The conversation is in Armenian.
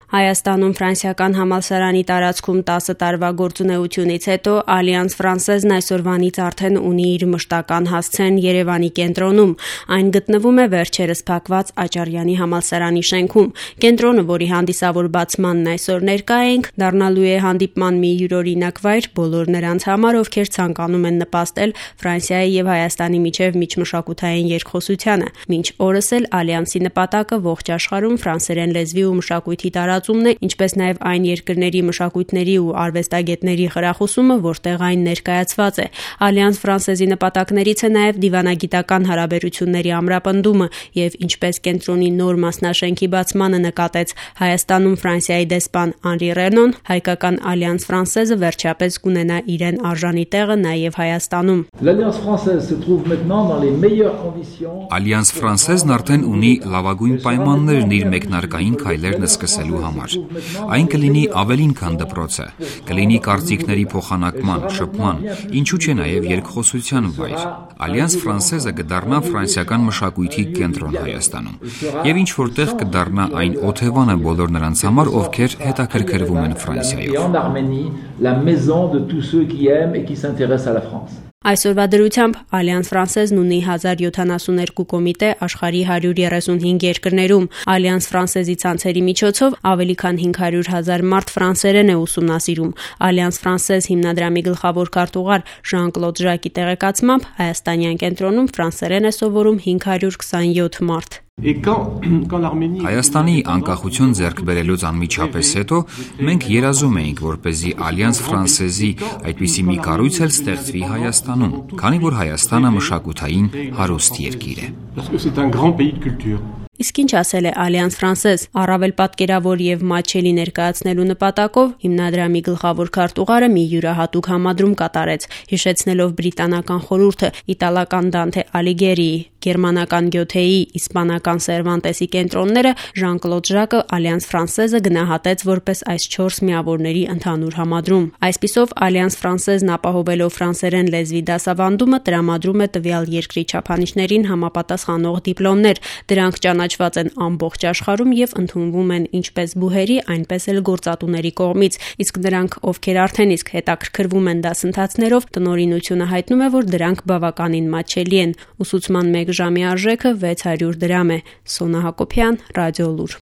Հայաստանում ֆրանսիական համալսարանի տարածքում 10 տարվա գործունեությունից հետո Alliance Française-ն այսօրվանից արդեն ունի իր մշտական հասցեն Երևանի կենտրոնում։ Այն գտնվում է վերջերս փակված Աճարյանի համալսարանի շենքում։ Կենտրոնը, որի հանդիսավոր բացմանն այսօր ներկա էինք, դառնալու է հանդիպման մի յուրօրինակ վայր բոլոր նրանց համար, ովքեր ցանկանում են նպաստել Ֆրանսիայի եւ Հայաստանի միջև միջմշակութային երկխոսությանը։ Մինչ օրս էլ Alliance-ի նպատակը ողջ աշխարհում ֆրանսերեն լեզվի ու մշակույթի տարածումն է, ինչպես նաև այն երկրների մշակույթների ու արվեստագետների խրախուսումը, որտեղ այն ներկայացված է։ Alliance Française-ի նպատակներից է նաև դիվանագիտական հարաբերությունների ամրապնդումը եւ ինչպես կենտրոնի նոր մասնաշենքի բացմանը նկատեց Հայաստանում Ֆրանսիայի դեսպան Անրի Ռենոն, հայկական Alliance Française-ը վերջապես կունենա իրեն արժանի տեղը նաև Հայաստանում։ Alliance Française-ն արդեն ունի լավագույն պայմաններն իր մեկնարկային քայլերն սկսելու համար։ Այն կլինի ավելին քան դպրոցը, կլինի կարծիքների փոխանակման, շփման, ինչու՞ չէ նաև երկխոսության վայր։ Alliance Française-ը կդառնա ֆրանսիական մշակույթի կենտրոն Հայաստանում։ Եվ ինչ որտեղ կդառնա այն օթևանը բոլոր նրանց համար, ովքեր հետաքրքրվում են Ֆրանսիայով։ Այսօրվա դրությամբ Alliance Française-ն ունի 1072 կոմիտե աշխարհի 135 երկրներում։ Alliance Française-ի ցանցերի միջոցով ավելի քան 500,000 մարդ ֆրանսերեն է ուսումնասիրում։ Alliance Française հիմնադրամի գլխավոր քարտուղար Ժան-Կլոդ Ժակի տեղեկացմամբ հայաստանյան կենտրոնում ֆրանսերեն է սովորում 527 մարդ։ Հայաստանի անկախություն ձեռք բերելուց անմիջապես հետո մենք երազում էինք, որպեսզի Alliance Française-ի այդպիսի մի կառույց էլ ստեղծվի Հայաստանում, քանի որ Հայաստանը մշակութային հարուստ երկիր է։ Իսկ ինչ ասել է Alliance Française, առավել պատկերավոր եւ մատչելի ներկայացնելու նպատակով հիմնադրամի գլխավոր քարտուղարը մի յուրահատուկ համադրում կատարեց, հիշեցնելով բրիտանական խորհուրդը, իտալական Դանթե Ալիգերիի, գերմանական Գյոթեի, իսպանական Սերվանտեսի կենտրոնները, Ժան-Կլոդ Ժակը Alliance Française-ը գնահատեց որպես այս 4 միավորների ընդհանուր համադրում։ Այսպիսով Alliance Française-ն ապահովելով ֆրանսերեն լեզվի դասավանդումը տրամադրում է տվյալ երկրի չափանիշներին համապատասխանող դիպլոմներ։ Դրանք ճանաչված են ամբողջ աշխարհում եւ ընդունվում են ինչպես բուհերի, այնպես էլ գործատուների կողմից, իսկ նրանք, ովքեր արդեն իսկ հետաքրքրվում են դասընթացներով, տնօրինությունը հայտնում է, որ դրանք բավականին մատչելի են։ Ուսուցման 1 ժամի արժեքը 600 դրամ է։ Սոնա Հակոբյան, Ռադիոլուր։